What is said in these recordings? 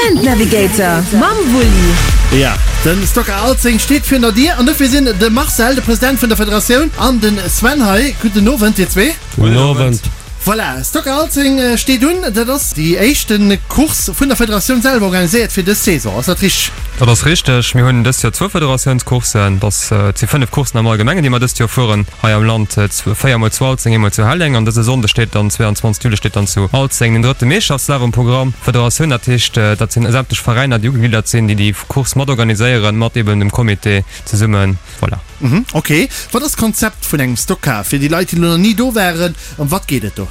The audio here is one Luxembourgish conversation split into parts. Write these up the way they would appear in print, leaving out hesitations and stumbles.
Event Navigator mam Wulli. Ja, den Stocker Alzeng steet virun der Dier an dofir sinn de Marcel, de President vun der Federatioun, an den Sven hei. Gudden Owend dir zwee. Gudden Owend. Voilà, Stocker Alzeng steet un. Dat ass déi éischte Course vun der Federatioun selwer organiséiert fir dës Saison. Ass dat richteg? Dat ass richteg. Mir hunn dëst Joer zwou Federatiounscourssen. Dat si 5 Courssen am Allgemengen, déi mer dëst Joer fueren hei am Land. Véier mol zu Alzeng, eemol zu Helleng. An dëse Sonnde steet dann, 22 Juli, steet dann zu Alzeng den drëtte Meeschterschaftslaf um Programm. Federatioun, dat heescht, dat sinn sämtlech Veräiner, déi ugegliddert sinn, déi déi Course mat organiséieren, mat eben dem Comité zesummen. Voilà. Ok. Wat ass d'Konzept vun engem Stockcar? Fir déi Leit, déi elo nach ni do waren, ëm wat geet et do?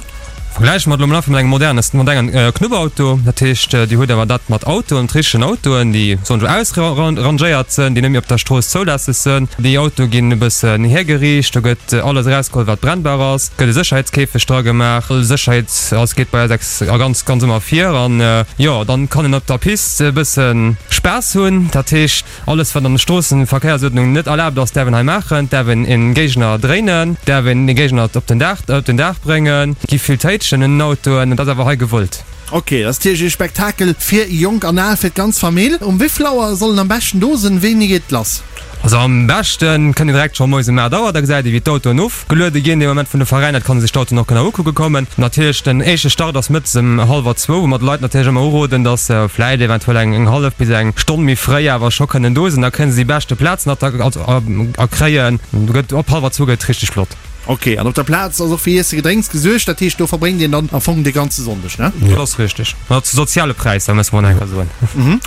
Vergläiche mer et elo mol einfach mat engem modernes, modernen Knubbauto. Dat heescht, Dir hutt awer dat mat Autoen, mat richtegen Autoen, déi soen ech ausrangéiert sënn, déi net méi op der Strooss zoulässeg sënn. Déi Autoe ginn e bëssen hiergeriicht, do gëtt alles erausgeholl, wat brennbar ass, gëtt e Sécherheetskäfeg dra gemaach. All Sécherheet ass, geet bei eis ex a ganz, ganz ëmmer vir. An jo, dann kann een op der Pist e bësse Spaass hunn. Dat heescht. Alles wat an der Stroossenverkéiersuerdnung net erlaabt ass, däerf een hei maachen. Däerf een een Géigner dréinen, däerf een den Géigner op den Daach op den Daach bréngen. Gi vill Téitschen un den Autoen, dat ass awer hei gewollt. Ok, dat ass natierlech ee Spektakel fir Jonk an Al, fir d'ganz Famill. Um wéivill Auer soll en am beschten do sinn? Wéini geet et lass? Also am beschten kënnt een direkt scho moies um 8 Auer, da gesäit ee wéi d'Autoen of. Geluede ginn dee Moment vun de Veräiner, et kann ee sech d'Autoen och genau ukucke kommen. Natierlech den éischte Start ass mëttes ëm hallwer zwou, wou mer de Leit natierlech ëmmer uroden, datt se vläicht eventuell eng eng hallef bis eng Stonn méi fréi awer scho kënnen do sinn, da kënnen se déi beschte Plazen erkréien. Do gëtt op hallwer zwou gëtt et richteg flott. Ok, an op der Plaz ass och fir Iesse Gedrénks gesuergt, dat heescht do verbréngt een dann am Fong de ganze Sonndeg, ne? Dat ass richteg, ma zu soziale Präisser, musse mer nach eng Kéier soen.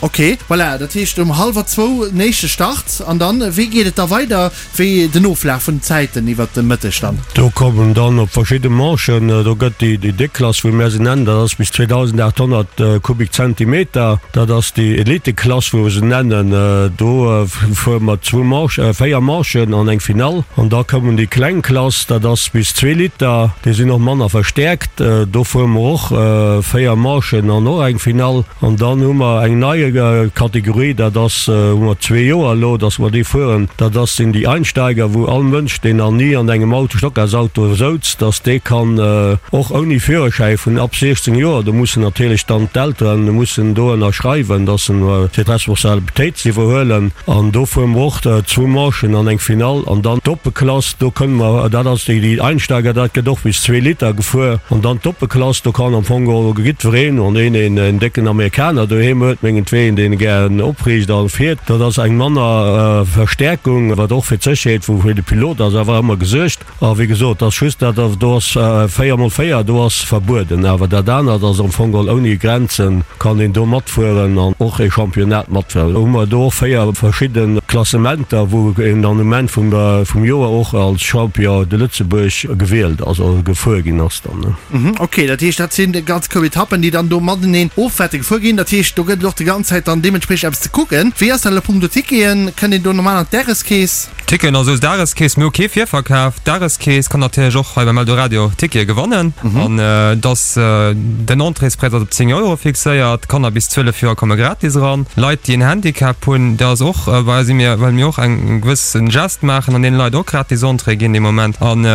Ok, voilà, dat heescht um hallwer zwou den éischte Start an dann, wéi geet et da weider? Wéi den Oflaf vun den Zäiten iwwert de Mëtteg dann? Do kommen dann op verschidde Manchen, do gëtt déi déi déck Klass, wéi mär se nennen, dat ass bis 2.800 Kubikzentimeter, dat ass déi Eliteklass, wou mer se nennen, do fuere mer zwou Manchen, véier Manchen an eng Finall. An da kommen déi kleng Klass, dat ass bis zwee Liter, déi sinn och manner verstäerkt, do fuere mer och véier Manchen an och eng Finall. An dann hu mer eng nei Kategorie, dat ass, hu mer zwee Joer elo, datt mer déi fueren, dat ass, sinn déi Einsteiger, wou all Mënsch, deen nach ni an engem Auto, Stockgarsauto souz, datt dee kann och ouni Führerschäi vun ab 16 Joer, do mussen natierlech dann d'Elteren mussen do ënnerschreiwen, datt se fir d'Responsabilitéit ze iwwerhuelen. An do fuere mer och zwou Manchen an eng Finall an dann d'oppe Klass, do kënne mer, dat ass déi déi Einsteiger, dat gëtt och bis zwee Liter gefuer. An dann d'oppe Klass, do kann am Fong geholl jiddwereen, wann een een een décken Amerikaner doheem huet, mengetween, deen e gären opriicht a fiert, dat ass eng manner Verstäerkung, wat och fir d'Sécherheet vu fir de Pilot ass awer ëmmer gesuergt. A wéi gesot, ass just dat, do ass 4 mol 4, do ass verbueden, awer dat anert ass am Fong geholl ouni Grenzen, kann een do matfueren an och ee Championnat matfueren. Hu mer do och 4 verschidde Klassementer, wou een dann um Enn vum vum Joer och als Champion de Lëtzebuerg gewielt ass, also gefuer ginn ass dann. Ok, dat heescht, dat sinn ganz grouss Etappen, déi dann do mateneen of wäerte gefuer ginn. Dat heescht, do gëtt et och déi ganz Zäit dann deementspriechend eppes ze kucken. Wéi ass dat elo punkto Ticketen? Kënnt een do normal an d'Dageskeess? Ticketen ass aus Dageskeess, mir hu kee Virverkaf. D'Dageskeess kann natierlech och hei beim Eldoradio Tickete gewannen. An et ass den Entréespräis ass op 10 Euro fixéiert. Kanner bis 12 Joer komme gratis eran. Leit déi en Handicap hunn, dat ass och, well si mir, well mir och eng gewëssen Gest maachen an deene Leit och gratis Entrée ginn dee Moment. An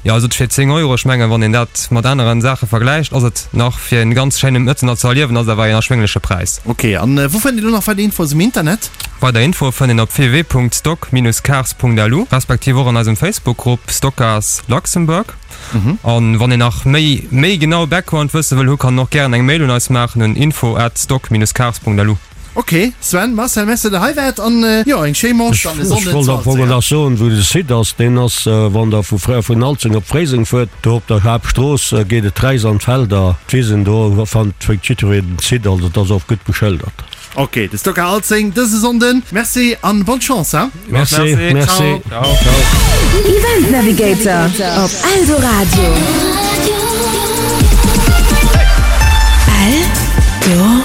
Jo, also fir 10 Euro, ech mengen, wann een dat mat aneren Saache vergläicht, ass et nach fir en ganz schéine Mëtten ze erliewen, ass et awer een erschwéngleche Präis. Ok, an wou fënnt een elo nach weider Info's um Internet? Weider Infoe fënnt een op www.stock-cars.lu respektiv och an eisem Facebook-Grupp Stockcars Luxembourg. An wann een nach méi méi genau Background wësse wëll hu, kann en och gären eng Mail un eis maachen un info@stock-cars.lu. Ok Sven, Marcel, merci dat der hei waart an jo eng schéi Manche dann e Ech Sonnden wollt am Fong nach soen, wou de Site ass. Deen ass, wann der vu vun Alzeng op Fréiseng fuert, do op der Haaptstrooss geet et räis an d'Felder, d'Wisen, do fannt jiddwereen den Site, also et ass och gutt beschëldert. Ok, de Stocker Alzeng dëse Sonnden. Merci an bonne Chance hein. Merci, merci. Ciao. Event Navigator op Eldoradio. Eldoradio.